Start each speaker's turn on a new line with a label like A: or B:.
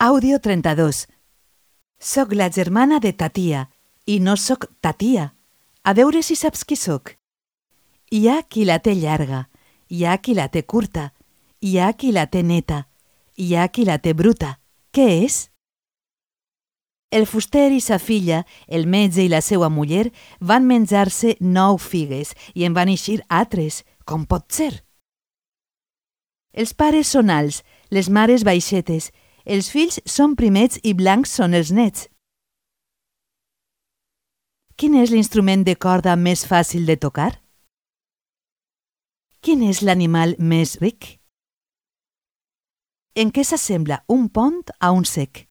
A: Àudio 32. Soc la germana de ta tia i no soc ta tia. A veure si saps qui soc. Hi ha qui la té llarga, hi ha qui la té curta, hi ha qui la té neta, hi ha qui la té bruta. Què és? El fuster i sa filla, el metge i la seua muller van menjar-se 9 figues i en van eixir altres. Com pot ser? Els pares són alts, les mares baixetes, els fills són primets i blancs són els nets. Quin és l'instrument de corda més fàcil de tocar? Quin és l'animal més ric? En què s'assembla un pont a un cec?